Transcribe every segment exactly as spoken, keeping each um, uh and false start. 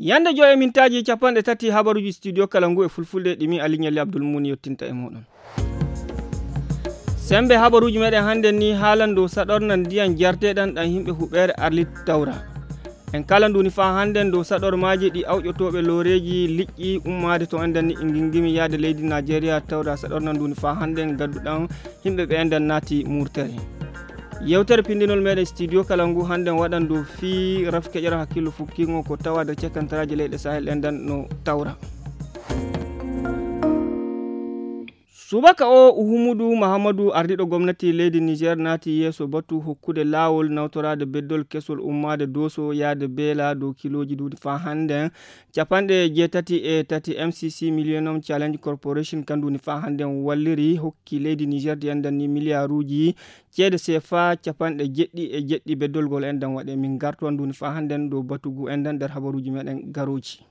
Yande joy e mintaaji capanɗe tati habaruuji studio kala ngu e fulfulde ɗi min Aliou Nialy Abdoul Moumouni yottinta e muɗum. Sembe habaruuji meɗen hannden ni haalan dow saɗorna ndiyan jarteɗan ɗan himɓe huɓeere Arlit tawra. En kala nduni faa hannden dow saɗormaaji ɗi awƴotooɓe looreeji liƴƴi ummaade to enɗan ni e ngingimi yaade leydi Najeriya tawra saɗorna nduni faa hannden gadduɗan himɓe ɓe enɗan naati murtere. Yewtere pindinol meɗen studio kala ngu hannden waɗan dow fii rafi keƴora hakkillo fukkingo ko tawaade cakkantaraaji leyɗe Sahel enɗan no tawra. Subaka o Uhumudu Mahamadu ardiɗo gomnati leydi Niger naati yeeso batu hokkude laawol nawtoraade beddol kesol ummaade Doso yaade Beela dow kilooji duuɗi faa hannden capanɗe jeetati e tati M C C Millennium Challenge Corporation kan duuni faa hannden walliri hokki leydi Niger di enɗan ni miliyaaruuji ceede sefa capanɗe jeɗɗi e jeɗɗi beddolgol enɗan waɗe min garto an duuni faa hannden dow batugu enɗan nder habaruuji meɗen garooji.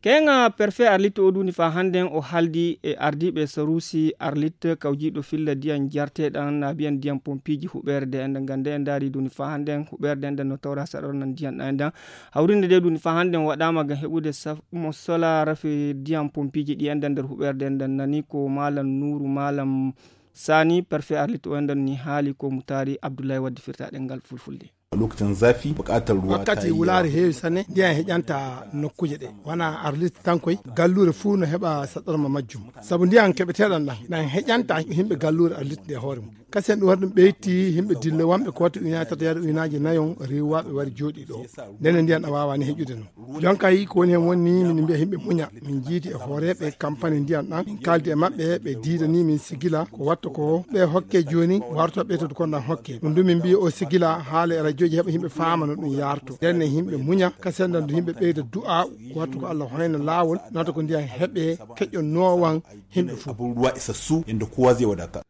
Keŋa perfet Arlit o duuni faa hannden o haldi e ardiiɓe saruusi Arlit kawjiiɗo filla ndiyan jarteɗan naabiyan ndiyan pompiiji huɓeere de enɗan ngannde en ndaari duuni faa hannden huɓeere de enɗan no tawra saɗornan ndiyan ɗan enɗan hawrinde de duuni faa hannden waɗaama ngam heɓude saf mo sola rafi ndiyan pompiiji ɗi enɗan nder huɓeere de enɗan nani ko maalam nuuru maalam sani perfet Arlit o enɗan ni haali ko mutaari Abdullahi waddi firta ɗengal fulfulde. Lokacin zafi buƙatar ruwa ta wakkati yi wulaare yawa. Heewi sanne ndiyan heƴanta nokkuuje ɗe wona Arlit tan koy galluure fuu no heɓa saɗorma majjum sabu ndiyan keɓeteɗan ɗan ɗan heƴanta yimɓe galluure Arlit nde hoore mum kasi en ɗum waɗi ɗum ɓeyti yimɓe dille wonɓe ko watti ujunaaji tati yaade ujunaaji nayon riwaaɓe wari jooɗi ɗo ndene ndiyan ɗan waawani heƴude non jonka yi ko woni hen woni min mbiya yimɓe muña min jiidi e hooreeɓe kampani ndiyan ɗan min kaldi e maɓɓe ɓe diidani min sigila ko watta ko ɓe hokke jooni warto ɓeytoto kon ɗan hokke ɗum du min mbiya o sigila haala e rajooji heɓa yimɓe faama no ɗum yarto ndenne yimɓe muña kasi en ɗan du yimɓe ɓeyda du'a ko watta ko Allah hoyna laawol nata ko ndiyan heɓe keƴƴo noowan yimɓe fof. Abun ruwa isassu inda kowa zai wadata.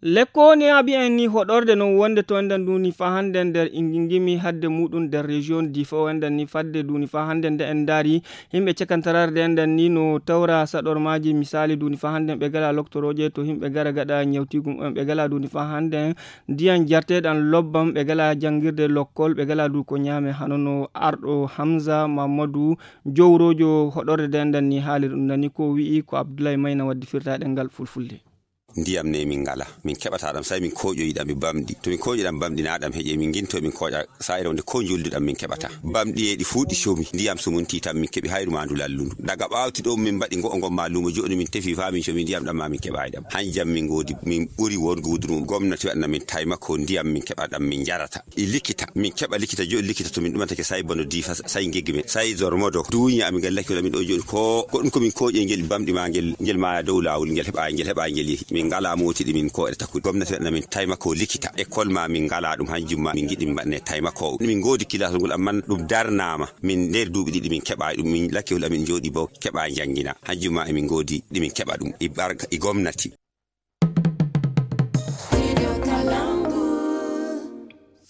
Lekko ne abi en ni hoɗorde non wonde to enɗan duni fa hande nder ingingimi hadde muɗum nder région di fo enɗan ni fadde duni fa hande nde en ndaari yimɓe cakantararde enɗan ni no tawra saɗormaaji misaali duni fa hande ɓe gala loktorooje to yimɓe gara gaɗa ñawtigum en ɓe gala duni fa hande ndiyan jarteɗan lobbam ɓe gala janngirde lokkol ɓe gala du ko ñaame hano no arɗo Hamza Mamadou jowrojo hoɗorde de enɗan ni haali ɗum nani ko wi'i ko Abdoulaye Mayna waddi firtaɗe ngal fulfulde. Ndiyam ne min ngala min keɓata ɗam sai min koƴoyi ɗam e bamɗi to min koƴi ɗam bamɗi na ɗam heƴe min ginto min koƴa sa'ire wonde ko njuldu ɗam min keɓata bamɗi e ɗi fuuɗi comi ndiyam so mun titam min keɓi hayru ma ndu lallundu daga ɓawti ɗo min mbaɗi ngo'o ngon ma lumo joɗi min tefi fa min comi ndiyam ɗam ma min keɓa e ɗam hanjam min ngodi min ɓuri won gudrum gomnati waɗana min taymako ndiyam min keɓa ɗam min jarata e likita min keɓa likita joɗi likita to min ɗumantake sai bono difa sai geggi men sai zormodo duña amin gallaki wala min ɗo joɗi ko ko ɗum ko min koƴe ngel bamɗi ma ngel ngel maya dow lawol ngel heɓa ngel heɓa ngel yehi min ngala moti ɗi min koɗe takkude gomnati waɗana min taymako likita école ma min ngala ɗum hanjum ma min giɗi min mbaɗane taymako min ngodi kilasol ngol amman ɗum darnama min nder duuɓi ɗiɗi min keɓa ɗum min lakkewol amin joɗi bo keɓa jangina hanjum ma emin ngodi ɗimin keɓa ɗum e barka e gomnati.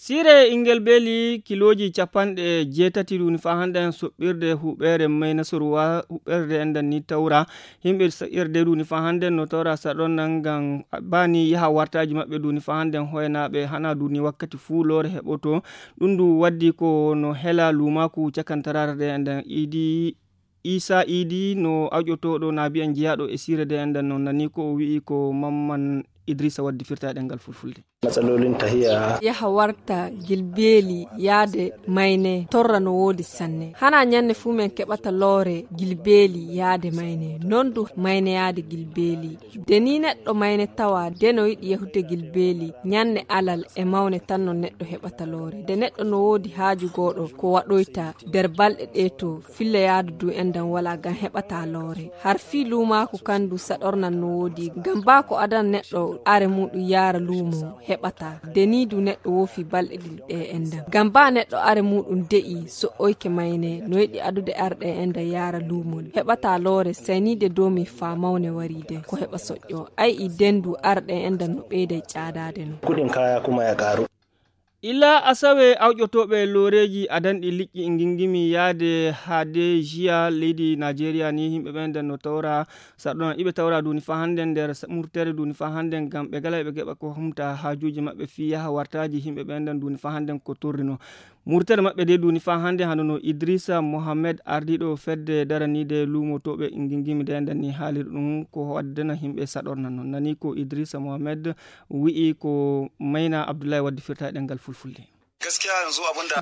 Sire ingel beeli kilooji capanɗe jeetati ɗuni fa hande en soɓɓirde huɓeere may nasaruwa huɓerde enɗan ni tawra yimɓe saɗirde ɗuni fa hande no tawra saɗon nan ngam bani yaha wartaji maɓɓe ɗuni fa hande hoynaɓe hana ɗuni wakkati fuu loore heɓoto ɗum ndu waddi ko no hela lumaku cakantararde enɗan idi isa idi no awƴotoɗo naabiyan jeyaɗo e sirede enɗan no nani ko o wi'i ko mamman idrissa waddi firta e ɗengal fulfulde. Matsalolin tahiya yaha warta gilbeeli yaade mayne torra no woodi sanne hana ñande fuu men keɓata loore gilbeeli yaade mayne non du mayne yaade gilbeeli de ni neɗɗo mayne tawa de no yiɗi yahude gilbeeli ñande alal e mawne tan no neɗɗo heɓata loore de neɗɗo no woodi haaju gooɗo ko waɗoyta nder balɗe ɗe to filla yaadu du enɗan wala ngam heɓata loore har fii luumaaku kan du saɗornan no woodi ngam baa ko adan neɗɗo are muɗum yaara luumo heɓata de ni du neɗɗo woofi balɗe ɗiɗi ɗe enɗan ngam baa neɗɗo are muɗum de'i so'oyke mayne no yiɗi adude arɗe enɗan yaara luumo heɓata loore sayniide dow min faa mawne wariide ko heɓa soƴƴo ay i dendu arɗe enɗan no ɓeyday caadaade no. Kuɗin kaya kuma ya ƙaru. Ila asawe awƴotooɓe looreeji adanɗi liƴƴi ngingimi yaade haade jiya leydi Najeriya ni, yimɓe ɓen nden no tawra saɗɗorma iɓe tawra duuni fa hannde nder sa- murtere duuni fa hannde ngam ɓe gala ɓe geɓa ko humta haajuuji maɓɓe fii yaha wartaaji yimɓe ɓen nden duuni fa hannde ko torrino. Murtere maɓɓe de duuni fa hannde hano no Idrissa Mohamed ardiiɗo fedde daraniide luumotooɓe ngingimi de nden ni haaliri ɗum ko waddena yimɓe saɗorna non. Nani ko Idrissa Mohamed wi'i ko Mayna Abdullahi waddi firta e ɗemngal fulfulde.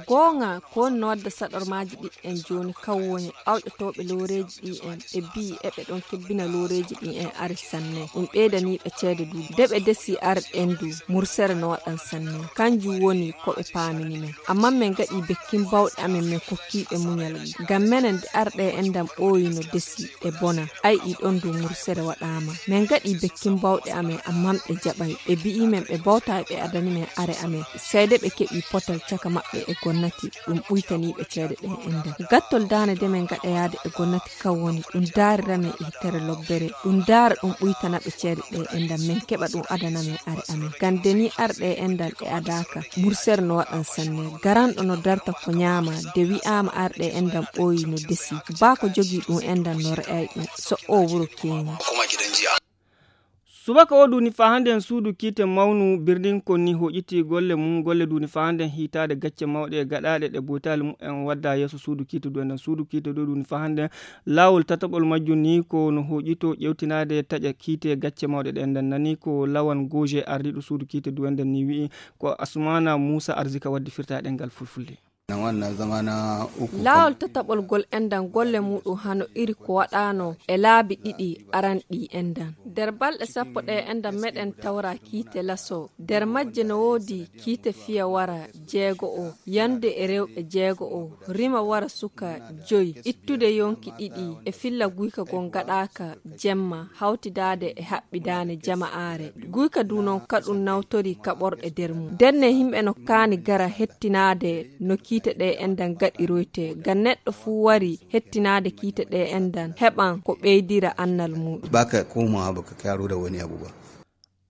Goonga ko woni no wadda saɗormaaji ɗiɗi en jooni kan woni awƴotooɓe looreeji ɗi en ɓe mbi'i eɓe ɗon kebbina looreeji ɗi en ari sanne ɗum ɓeydanii ɓe ceede du de ɓe desi arɗe en du mursere no waɗan sanne. Kanjum woni ko ɓe paamini men. Amma men gaɗi bekkin bawɗe amen men kokki ɓe muñal. Ngam menen nde arɗe en ndam ɓooyi no desi ɗe bona. Ay ɗi ɗon du mursere waɗaama. Men gaɗi bekkin bawɗe amen amma ɓe jaɓay. Ɓe bi'i men ɓe bawta ɓe adani men are amen. Seede ɓe keɓi potal caka maɓɓe e gonnati ɗum ɓuytani ɓe ceede ɗe e ndam. Gattol daane de men gaɗa yaade e gonnati kan woni ɗum daarira men e hitere lobbere. Ɗum daara ɗum ɓuytana ɓe ceede ɗe e ndam men keɓa ɗum adana men are amen. Ngam de ni arɗe e ndam ɗe adaaka. Mursere no waɗan sanne. Garanɗo no darta ko ñaama de wi'aama arɗe e ndam ɓooyi no desi. Baa ko jogii ɗum e ndam no re'ay ɗum. So o wuro keeñi. Subaka o duuni fa hannde en suudu kiite mawnu birnin kon ni hoƴiti golle mum golle duuni fa hannde en hiitaade gacce mawɗe e gaɗaaɗe ɗe boytaali mum en wadda yeeso suudu kiite du enden suudu kiite du duuni fa hannde en laawol tataɓol majjum ni ko no hoƴito ƴewtinaade taƴa kiite gacce mawɗe ɗe enden nani ko lawan goje ardiiɗo suudu kiite du enden ni wi'i ko asumana muusa arzika waddi firta e ɗemngal fulfulde. Laawol tataɓol gol enɗan golle muuɗum hano iri ko waɗaano e laabi ɗiɗi aranɗi enɗan. Nder balɗe sappo ɗe enɗan meɗen tawra kiite laso. Nder majje no woodi kiite fiya wara jeego'o, yande e rewɓe jeego'o, rima wara suka joyi, ittude yonki ɗiɗi e filla guyka goo gaɗaaka jemma hawtidaade e haɓɓidaane jama'aare. Guyka du non kaɗum nawtori kaɓorɗe nder mum. Ndenne yimɓe no kaani gara hettinaade no kiite ɗe enɗan gaɗiroyte. Ngam neɗɗo fuu wari hettinaade kiite ɗe enɗan heɓan ko ɓeydira annal muuɗum. Baka komawa baka karo da wani abu ba.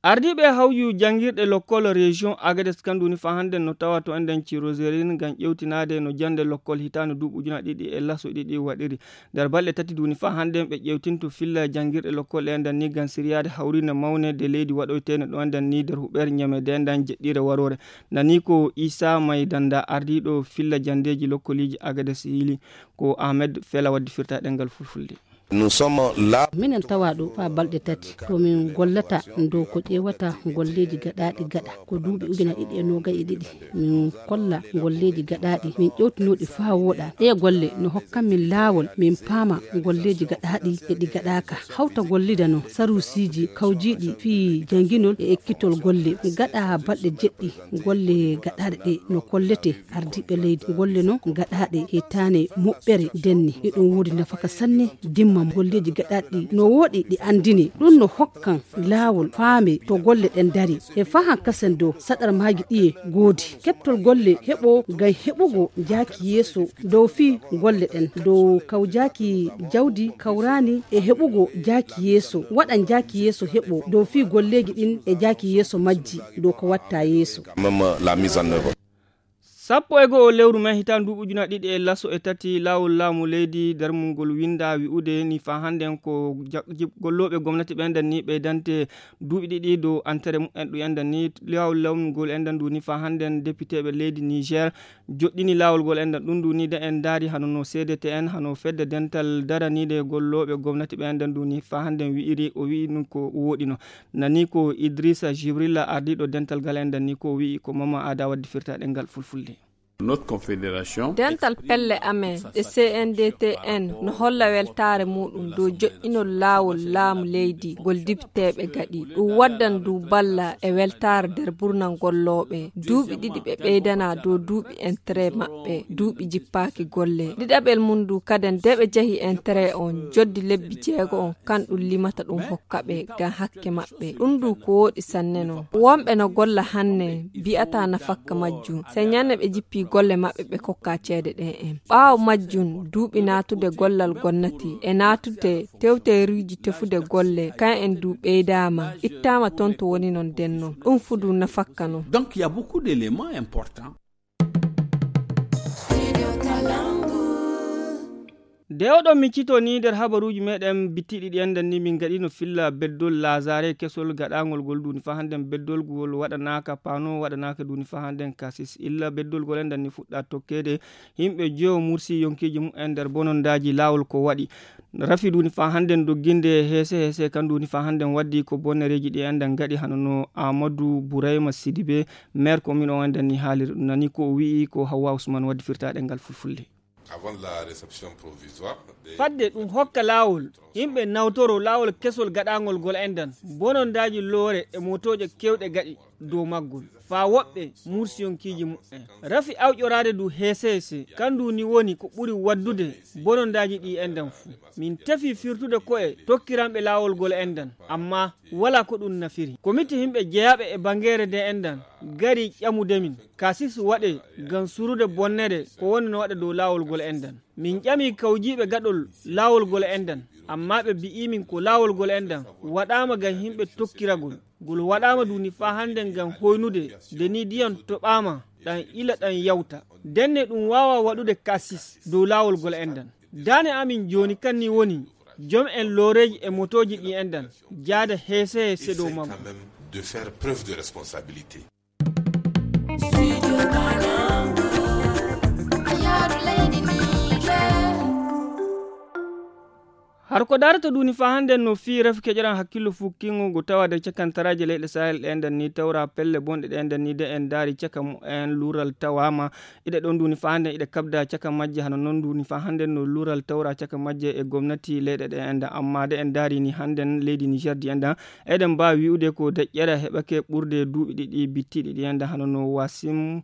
Ardiiɓe hawju janngirɗe lokkol région Agadez kan duuni fa hannden no tawa to enɗan ciroserin ngam ƴewtinaade no jannde lokkol hitaande duuɓi ujuna ɗiɗi e laso ɗiɗi waɗiri. Nder balɗe tati duuni fa hannden ɓe ƴewtinto filla janngirɗe lokkol enɗan ni ngam siryaade hawriinde mawnde leydi waɗoyteende ɗo enɗan ni nder huɓeere ñamede enɗan jeɗɗiire waroore. Nani ko Isa Maydanda ardiiɗo filla janndeeji lokkoliiji Agadez yili ko Ahmed Fela waddi firta ɗemngal fulfulde. Minen tawa ɗo faa balɗe tati to min gollata dow ko ƴeewata golleeji gaɗaaɗi gaɗa ko duuɓi ujuna ɗiɗi e noogay e ɗiɗi. Min kolla golleeji gaɗaaɗi min ƴewtinooɗi faa wooɗa. Ɗee golle no hokkan min laawol min paama golleeji gaɗaaɗi e ɗi gaɗaaka. Hawta gollida no saruusiiji kawjiiɗi fii jannginol e ekkitol golle. Gaɗa balɗe jeɗɗi golle gaɗaaɗe ɗe no kollete ardiiɓe leydi. Golle non gaɗaaɗe hitaane moɓɓere denni. Eɗum woodi nafaka sanne dimma golleeji gaɗaaɗi ɗi no wooɗi ɗi anndine. Ɗum no hokkan laawol faame to golle ɗen dari. E fahan kasen dow saɗarmaaji ɗiye goodi. Keɓtol golle heɓo ngam heɓugo jaaki yeeso dow fii golle ɗen. Dow kawjaaki jawdi kawraani e heɓugo jaaki yeeso. Waɗan jaaki yeeso heɓo dow fii golleeji ɗin e jaaki yeeso majji dow ko watta yeeso. Sappo e go'o lewru men hitaande duuɓi ujuna ɗiɗi e laso e tati laawol laamu leydi darmungol winnda wi'ude ni fa hannden ko gollooɓe gomnati ɓe enɗan ni ɓeydante duuɓi ɗiɗi dow antere mumen ɗum enɗan ni laawol laamu ngol enɗan ndu ni fa hannden depiteeɓe leydi niger joɗɗini laawol ngol enɗan ɗum ndu ni de en ndaari hano no cdtn hano fedde dental daraniide gollooɓe gomnati ɓe enɗan ndu ni fa hannden wi'iri o wi'i ɗum ko wooɗino. Nani ko idrissa jibrilla ardiiɗo dental ngal enɗan ni ko wi'i ko mama aada waddi firta ɗemngal fulfulde. Dental pelle amen ɗe cndtn no holla weltaare muuɗum dow joɗɗinol laawol laamu leydi ngol depiteeɓe gaɗi. Ɗum waddan du balla e weltaare nder burnal gollooɓe duuɓi ɗiɗi ɓe ɓeydana dow duuɓi entere maɓɓe duuɓi jippaaki golle. Ɗiɗaɓel mum du kaden de ɓe njahi entere on joddi lebbi jeego on kan ɗum limata ɗum hokka ɓe ngam hakke maɓɓe. Ɗum du ko wooɗi sanne non. Wonɓe no golla hanne mbi'ata nafakka majjum. Sey ñande ɓe jippi golle maɓɓe ɓe kokka ceede ɗen en. Ɓaawo majjum, duuɓi naatude gollal gonnati e naatude tewteeruuji tefude golle, kan en du ɓeydaama, ittaama toon to woni non denno. Ɗum fu du nafakka non. Donc, il y a beaucoup d'éléments importants. Nde oɗon miccitoo ni nder habaruuji meɗen bittiɗi ɗi enɗan ni, min gaɗino filla beddol Lazare kesol gaɗangol gol duni fa hannden beddol gol waɗanaka pano, waɗanaka duni fa hannden kasis. Illa beddol gol enɗan ni fuɗɗa tokkede. Yimɓe jeewo mursi yonkiji mumen nder bonondaaji laawol ko waɗi. Rafi duni fa hannden dogginde heese heese kan duni fa hannden waddi ko bonnereeji ɗi enɗan gaɗi hano no Amadou Bourayma Sidibé, maire commune o enɗan ni haalir nani ko o wi'i ko Hawwa Ousmane waddi firtaɗe ngal fulfulde. Avant la réception provisoire, fadde ɗum hokka laawol, yimɓe nawtoro laawol kesol gaɗangol gol enɗan, bonondaaji loore e motooje kewɗe gaɗi dow maggol, faa woɓɓe mursiyonkiji mumen. Rafi awƴoraade du heese heese, kandu ni woni ko ɓuri waddude bonondaaji ɗi enɗan fuu. Min tefi firtude ko'e tokkiranɓe laawol gol enɗan, amma wala ko ɗum nafiri. Komite yimɓe jeyaaɓe e bangeere nde enɗan gari ƴamude min, kasis waɗe ngam surude bonnere ko woni no waɗa dow laawol gol enɗan. Min ƴami kawjiiɓe gaɗol laawol gol enɗan, amma ɓe mbi'i min ko laawol gol enɗan waɗaama ngam yimɓe tokkiragol. Ngol waɗaama duni faa hannden ngam hoynude nde ni ndiyam toɓaama ɗam ila ɗam yawta. Ndenne ɗum waawa waɗude kasis dow laawol gol enɗan. Daane amin jooni kan ni woni jom en looreeji e motooji ɗi enɗan jaada heese heese dow maggo. De faire preuve de responsabilité. Har ko daarata duni fa hannden no fii rafi keƴoran hakkillo fukkingo ngo tawa nder cakantaraaje leyɗe Sahel ɗe enɗan ni tawra pelle bonɗe ɗe enɗan ni de en daari caka mumen luural tawaama. Iɗe ɗon duni fa hannden iɗe kabda caka majje hano non duni fa hannden no luural tawra caka majje e gomnati leyɗe ɗe enɗan amma de en daari ni hannden leydi Niger di enɗan eɗen mbaawi wi'ude ko deƴƴere heɓake ɓurde duuɓi ɗiɗi bittiɗi ɗi enɗan hano no Wasim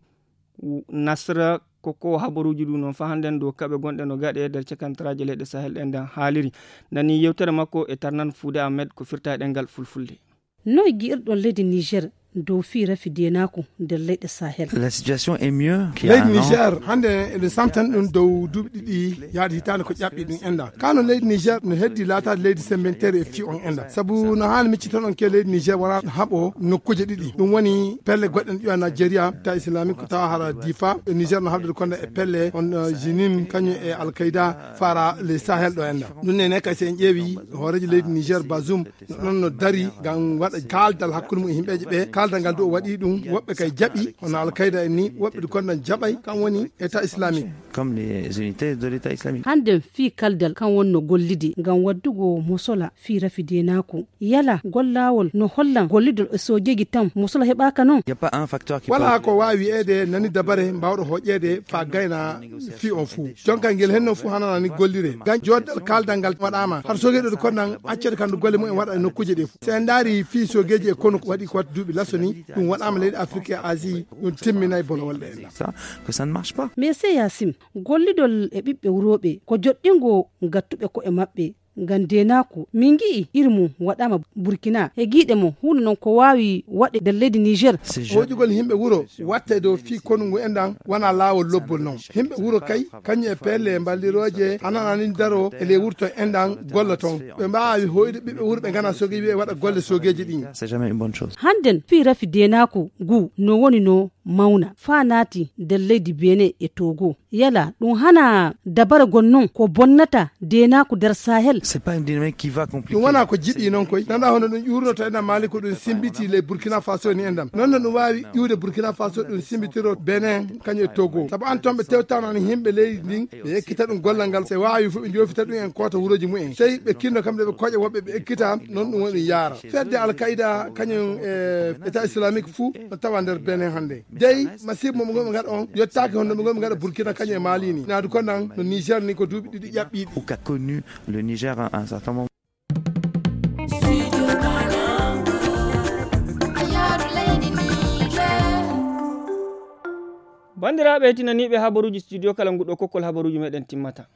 Nasra ko ko habaruuji ɗum noon fa hannden dow kaɓe gonɗe no gaɗe nder cakantaraaje leyɗe Sahel ɗe enɗan haaliri. Nani yewtere makko e Tarnan Fuude Ahmed ko firta e ɗemngal fulfulde. Noy gi'irɗon leydi Niger dow fii rafi deenaaku nder leyɗe Sahel? La situation est mieux qu'il y a un an. Leydi Niger hannde eɗen samtani ɗum dow duuɓi ɗiɗi yaade hitaande ko ƴaɓɓi ɗum enɗan. Kano leydi Niger no heddi laataade leydi sembenteeri e fii on enɗan. Sabu no haani miccitoɗon ke leydi Niger wona haɓo nokkuuje ɗiɗi. Ɗum woni pelle goɗɗe no ƴuwa Nigeria, ta islamique ko tawa hara Difa. E Niger no haɓde konda e pelle on, eh, Jinim, kañum e Al-Qaida, fara les Sahel ɗo enɗan. Ɗum nene kay so en ƴeewi hooreejo leydi Niger Bazoum, no ɗon no dari ngam waɗa kaaldal hakkunde mum e yimɓeeje ɓe. Kaaldal ngal du o waɗi ɗum, woɓɓe kay jaɓi, hono Al-Qaida en ni, woɓɓe du kondan jaɓay, kam woni État islamique. Comme les unités de l'État islamique. Hannden fii kaldal kan wonno gollide ngam waddugo mosola fii rafi deenaaku. Yala gollaawol no hollan gollidol e soojeeji tan mosola heɓaaka non? Y a pas un facteur qui Wala peut ko waawi wi'eede nani dabare mbaawɗo hoƴeede faa gayna fii on fuu. Jonka ngel henno fuu hanana ni gollire. Ngam jooddal kaaldal ngal waɗaama. Har soogeeji ɗo konnan accede kandu golle mumen waɗa e nokkuuje ɗe fuu. So en ndaari fii soogeeji e konu ko waɗi ko waɗi duuɓi laso ni, ɗum waɗaama leydi Afirki e Asie, ɗum timminay bolowol ɗe enɗan. Ça, que ça ne marche pas. Mais c'est Yassim, gollidol e ɓiɓɓe wurooɓe ko joɗɗingo gattuɓe ko'e maɓɓe ngam deenaaku. Min ngi'i iri mum waɗaama Burkina. E giiɗe mon, huunde non ko waawi waɗe nder leydi Niger. Ces jeunes Hoƴugol yimɓe wuro watte dow fii konu ngu enɗan wona laawol lobbol non. Yimɓe wuro kay, kañum e pelle mballirooje, hanana ni daro e ley wurto enɗan golla ton. Ɓe mbaawi hoyde ɓiɓɓe wuro ɓe ngana soogeeji ɓe waɗa golle soogeeji ɗin. C'est jamais une bonne chose. Hannden fii rafi deenaaku ngu no woni no mawna faa naati nder leydi Benin e Togo. Yala ɗum hana dabara gon non ko bonnata deenaaku nder Sahel? C'est pas une dynamique qui va compliquer. Ɗum wona ko jiɓi non koy. Nana hono ɗum ƴuurnoto ena Mali ko ɗum simbiti ley Burkina Faso ni enɗan. Non no ɗum waawi ƴuude Burkina Faso ɗum simbitiro Benin kañum e Togo. Sabu an ton ɓe tewtano ni yimɓe leydi ndin ɓe ekkita ɗum gollal ngal. Se waawi fof ɓe joofita ɗum en koota wurooji mumen. Sey ɓe kinno kamɓe ɓe koƴa woɓɓe ɓe ekkita non ɗum woni yaara. Fedde Al-Qaida kañum e État islamique fuu no tawa nder Benin hannde. Dey, masiibo mo ɓe ngaɗa on yottaaki hono ɓe ngaɗa Burkina kañum e Mali ni. Naadu ko nan no Niger ni ko duuɓi ɗiɗi ƴaɓɓiiɗi. Ou qu'a connu le Niger à un certain moment. Banndiraaɓe heɗtinaniiɓe habaruuji studio kala nguɗo kokkol habaruuji meɗen timmata.